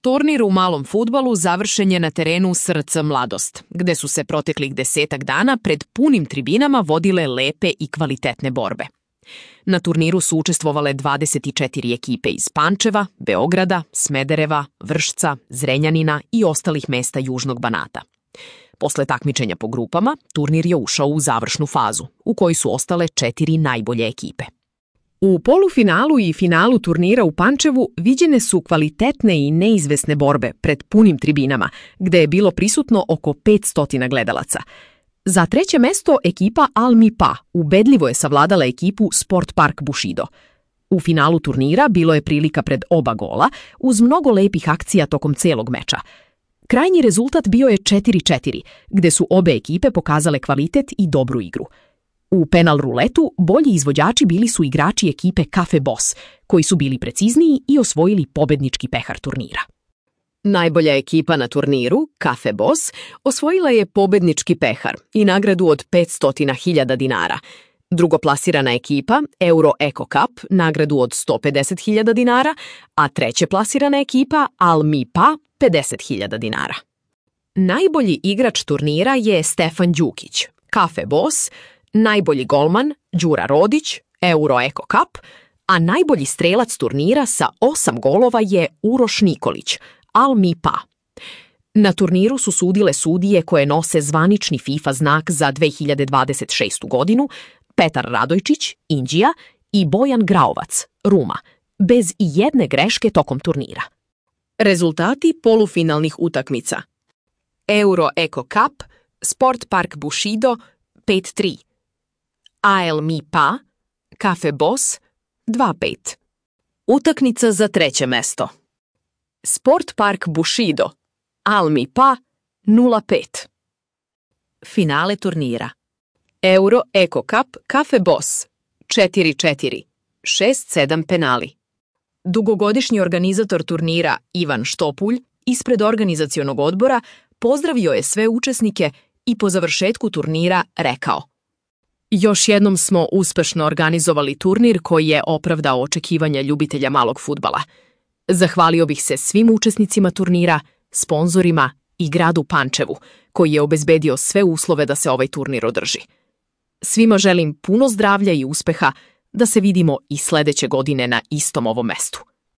Turnir u malom fudbalu završen je na terenu SRC Mladost, gde su se proteklih 10 dana pred punim tribinama vodile lepe i kvalitetne borbe. Na turniru su učestvovale 24 ekipe iz Pančeva, Beograda, Smedereva, Vršca, Zrenjanina i ostalih mesta Južnog Banata. Posle takmičenja po grupama, turnir je ušao u završnu fazu, u kojoj su ostale 4 najbolje ekipe. U polufinalu i finalu turnira u Pančevu viđene su kvalitetne i neizvesne borbe pred punim tribinama, gde je bilo prisutno oko 500 gledalaca. Za treće mesto ekipa Al Mi Pa ubedljivo je savladala ekipu Sport Park Bushido. U finalu turnira bilo je prilika pred oba gola, uz mnogo lepih akcija tokom celog meča. Krajnji rezultat bio je 4:4, gde su obe ekipe pokazale kvalitet i dobru igru. U penal ruletu bolji izvođači bili su igrači ekipe Cafe Boss, koji su bili precizniji i osvojili pobednički pehar turnira. Najbolja ekipa na turniru, Cafe Boss, osvojila je pobednički pehar i nagradu od 500.000 dinara. Drugoplasirana ekipa, Euro Eco Cup, nagradu od 150.000 dinara, a treće plasirana ekipa, Al Mi Pa, 50.000 dinara. Najbolji igrač turnira je Stefan Đukić, Cafe Boss, najbolji golman, Đura Rodić, Euro Eco Cup, a najbolji strelac turnira sa 8 golova je Uroš Nikolić, Al Mi Pa. Na turniru su sudile sudije koje nose zvanični FIFA znak za 2026. godinu, Petar Radojčić, Indija, i Bojan Graovac, Ruma, bez ijedne greške tokom turnira. Rezultati polufinalnih utakmica. Euro Eco Cup, Sport Park Bushido, 5:3. Al Mi Pa, Cafe Boss, 2:5. Utakmica za treće mesto. Sport Park Bushido, Al Mi Pa, 0:5. Finale turnira. Euro Eco Cup Cafe Boss, 4:4, 6-7 penali. Dugogodišnji organizator turnira Ivan Štopulj ispred organizacionog odbora pozdravio je sve učesnike i po završetku turnira rekao: Još jednom smo uspešno organizovali turnir koji je opravdao očekivanja ljubitelja malog fudbala. Zahvalio bih se svim učesnicima turnira, sponzorima i gradu Pančevu, koji je obezbedio sve uslove da se ovaj turnir održi. Svima želim puno zdravlja i uspeha, da se vidimo i sledeće godine na istom ovom mestu.